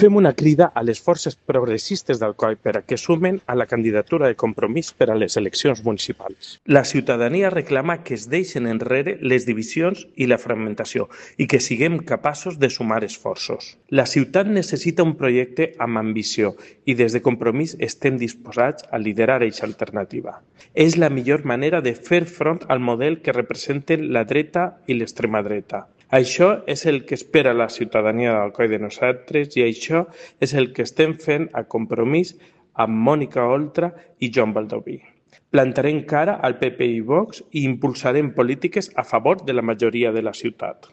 Fem una crida a les forces progressistes d'Alcoi per a que sumen a la candidatura de Compromís per a les eleccions municipals. La ciutadania reclama que es deixen enrere les divisions i la fragmentació i que siguem capaços de sumar esforços. La ciutat necessita un projecte amb ambició i des de Compromís estem disposats a liderar aquesta alternativa. És la millor manera de fer front al model que representen la dreta i l'extrema dreta. Això és el que espera la ciutadania d'Alcoi de nosaltres i això és el que estem fent a Compromís amb Mònica Oltra i Joan Baldoví. Plantarem cara al PP i Vox i impulsarem polítiques a favor de la majoria de la ciutat.